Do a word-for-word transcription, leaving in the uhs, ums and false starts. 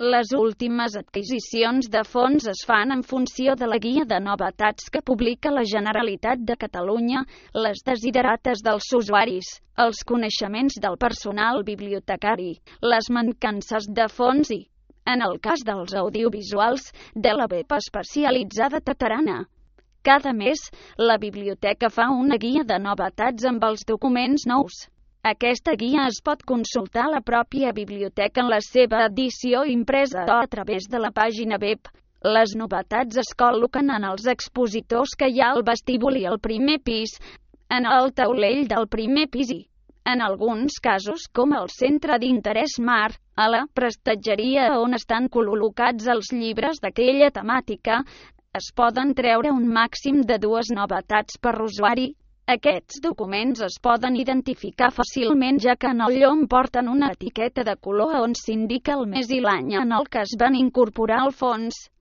Les últimes adquisicions de fons es fan en funció de la guia de novetats que publica la Generalitat de Catalunya, les desiderates dels usuaris, els coneixements del personal bibliotecari, les mancances de fons i, en el cas dels audiovisuals, de la web especialitzada Tatarana. Cada mes, la biblioteca fa una guia de novetats amb els documents nous. Aquesta guia es pot consultar a la pròpia biblioteca en la seva edició impresa o a través de la pàgina web. Les novetats es col·loquen en els expositors que hi ha al vestíbul i al primer pis, en el taulell del primer pis i, en alguns casos com el centre d'interès Mar, a la prestatgeria on estan col·locats els llibres d'aquella temàtica, es poden treure un màxim de dues novetats per usuari. Aquests documents es poden identificar fàcilment ja que en el llom porten una etiqueta de color on s'indica el mes i l'any en el que es van incorporar al fons.